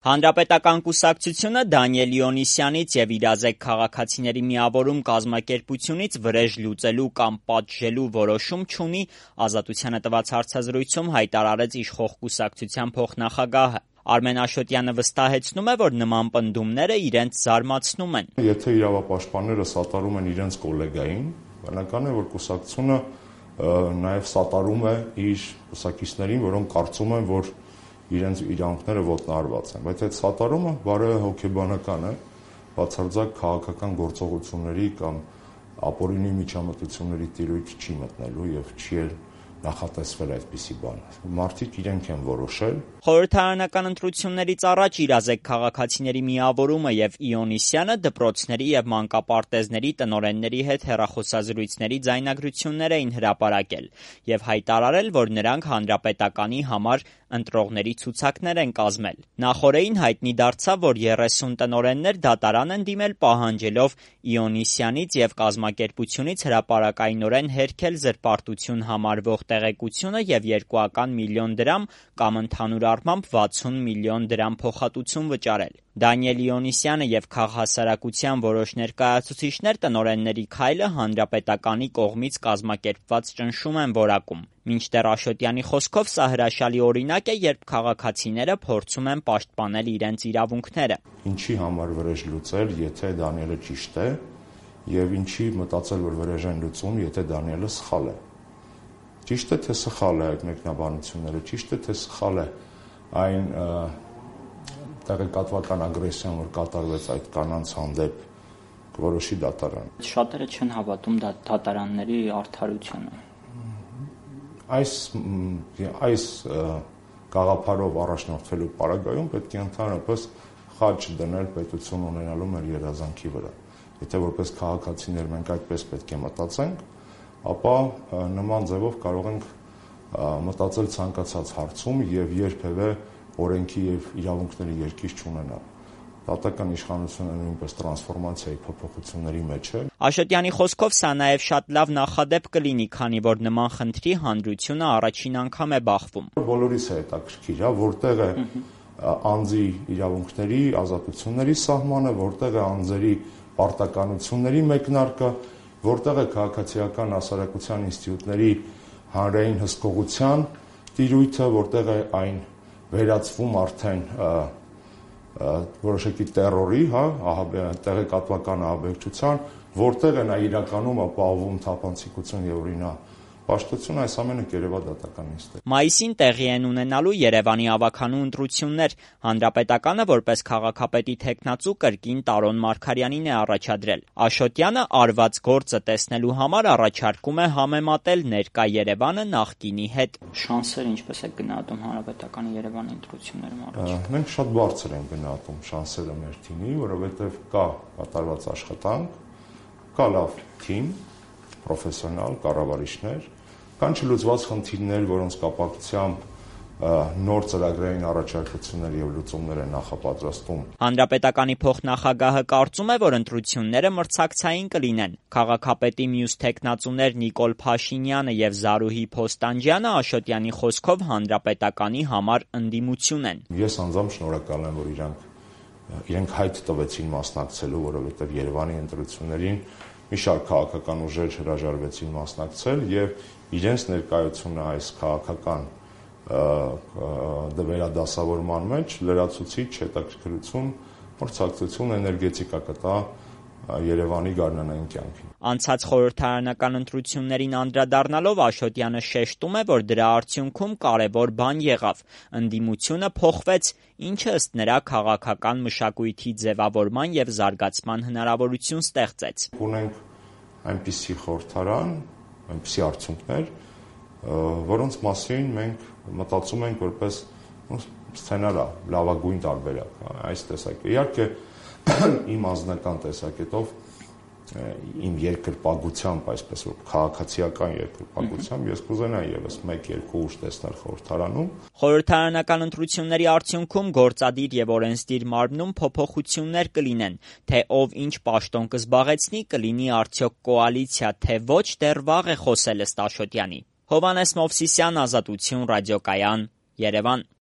Հանրապետական կուսակցությունը Դանիել Իոնիսյանից և իրազեկ քաղաքացիների միավորում կազմակերպությունից վրեժ լուծելու կամ պատժելու որոշում չունի, Ազատությանը տված հարցազրույցում հայտարարեց իշխող կուսակցության փոխնախագահը։ Արմեն Աշոտյանը վստահեցնում է, որ նման պնդումները իրենց զարմացնում են։ Եթե իրավապաշտպանները սատարում են իրենց կոլեգային, բնական է, որ կուսակցությունը նաև սատարում է իր կուսակիցներին, որոնք կարծում են, որ իրենց իրավունքները ոտնահարված են, բայց այդ սատարումը բարեհոգեբանական է, բացարձակ քաղաքական գործողությունների կամ ապօրինի միջամտությունների տիրույթ չի մտնելու եւ չի էլ նախատեսվել այդպիսի բան։ Մարդիկ իրենք են որոշել։ Խորհրդարանական ընտրություններից առաջ իրազեկ քաղաքացիների միավորումը եւ Իոնիսյանը դպրոցների եւ մանկապարտեզների տնօրենների հետ հեռախոսազրույցների ձայնագրություններ էին հրապարակել եւ հայտարարել, որ նրանք հանրապետականի համար ընտրողների ցուցակներ են կազմել։ Նախօրեին հայտնի դարձավ, որ 30 տնօրեններ դատարան են դիմել պահանջելով Իոնիսյանից եւ կազմակերպությունից հրապարակայնորեն հերքել զրպարտություն համարվող տեղեկությունը եւ 2 միլիոն դրամ կամ ընդհանուր առմամբ 60 միլիոն դրամ փոխհատուցում վճարել։ Դանիել Իոնիսյանը եւ քաղհասարակության որոշ ներկայացուցիչներ տնօրենների քայլը հանրապետականի կողմից կազմակերպված ճնշում են որակում։ Մինչդեռ Աշոտյանի խոսքով սա հրաշալի օրինակ է, երբ քաղաքացիները փորձում են պաշտպանել իրենց իրավունքները։ Ինչի համար վրեժ լուծել, եթե Դանիելը ճիշտ է, եւ ինչի մտածել, որ վրեժ են լուծում, եթե Դանիելը սխալ է։ Ճիշտ է, թե սխալ է այդ մեկնաբանությունները, ճիշտ է, թե սխալ է այն տեղեկատվական ագրեսիան, որ կատարվեց այդ կանանց հանդեպ, որոշի դատարան։ Շատերը չեն հավատում դատարանների արդարությանը։ Այս գաղափարով առաջնորդվելու պարագայում պետք է ընդհանրապես խաչ դնել պետություն ունենալու մեր երազանքի վրա։ Եթե որպես քաղաքացիներ մենք այդպես պետք է մտածենք, ապա նման ձևով կարող ենք մտածել ցանկացած հարցում եւ երբևէ օրենքի եւ իրավունքների երկիր չունենալ։ Դատական իշխանությունը նույնպես տրանսֆորմացիայի փոփոխությունների մեջ է։ Աշոտյանի խոսքով սա նաև շատ լավ նախադեպ կլինի, քանի որ նման խնդրի հանրությունը առաջին անգամ է բախվում։ Բոլորիս է հետաքրքիր, որտեղ է անձի իրավունքների, ազատությունների սահմանը, որտեղ է անձերի պարտականությունների մեկնարկը, որտեղ է քաղաքացիական հասարակության ինստիտուտների հանրային հսկողության տիրույթը, որտեղ է այն վերածվում արդեն որոշակի տերորի, տեղեկատվական ահաբեկչության, որտեղ է նա իրականում ապահովում թափանցիկություն եւ օրինապաշտություն, այս ամենը կերևա դատական նիստը։ Մայիսին տեղի են ունենալու Երևանի ավագանու ընտրություններ։ Հանրապետականը որպես քաղաքապետի թեկնածու կրկին Տարոն Մարգարյանին է առաջադրել։ Աշոտյանը արված գործը տեսնելու համար առաջարկում է համեմատել ներկա Երևանը նախկինի հետ։ Շանսերը ինչպես է գնահատում Հանրապետականի Երևանի ընտրություններում առաջ։ Մենք շատ բարձր ենք գնահատում շանսերը մեր թիմի, որովհետև կա կատարված աշխատանք, կա լավ թիմ, պրոֆեսիոնալ կառավարիչներ, կան չլուծված խնդիրներ, որոնց կապակցությամբ նոր ծրագրային առաջարկություններ եւ լուծումներ են նախապատրաստում։ Հանրապետականի փոխնախագահը կարծում է, որ ընտրությունները մրցակցային կլինեն։ Քաղաքապետի մյուս թեկնածուներ Նիկոլ Փաշինյանը եւ Զարուհի Փոստանջյանը Աշոտյանի խոսքով հանրապետականի համար ընդդիմություն են։ Ես անձամբ շնորհակալ եմ, որ իրենք հայտ տվեցին մասնակցելու, որովհետեւ Երևանի ընտրություններին մի շարք քաղաքական ուժեր հրաժարվեցին մասնակցել եւ իրենց ներկայությունը այս քաղաքական վերադասավորման մեջ լրացուցիչ հետաքրքրություն, մրցակցություն, էներգետիկա կտա Երևանի գարնանային կյանքին։ Անցած խորհրդարանական ընտրություններին անդրադառնալով Աշոտյանը շեշտում է, որ դրա արդյունքում կարևոր բան եղավ։ Ընդդիմությունը փոխվեց, ինչը ըստ նրա քաղաքական մշակույթի ձևավորման եւ զարգացման հնարավորություն ստեղծեց։ Ունենք այնպիսի խորհրդարան, այնպիսի արդյունքներ, որոնց մասին մենք մտածում ենք որպես սցենարա, լավագույն տարբերակ, այս տեսակետը։ Իհարկե իմ անձնական տեսակետով, իմ երկրպագությամբ, այսպես որ քաղաքացիական երկրպագությամբ ես կուզենայի եւս 1-2 ուժ տեսնել խորհրդարանում։ Խորհրդարանական ընտրությունների արդյունքում գործադիր եւ օրենսդիր մարմնում փոփոխություններ կլինեն, թե ով ինչ պաշտոն կզբաղեցնի, կլինի արդյոք կոալիցիա, թե ոչ, դեռ վաղ է խոսել ըստ Աշոտյանի։ Հովհաննես Մովսիսյան, Ազատություն, ռադիոկայան, Երևան։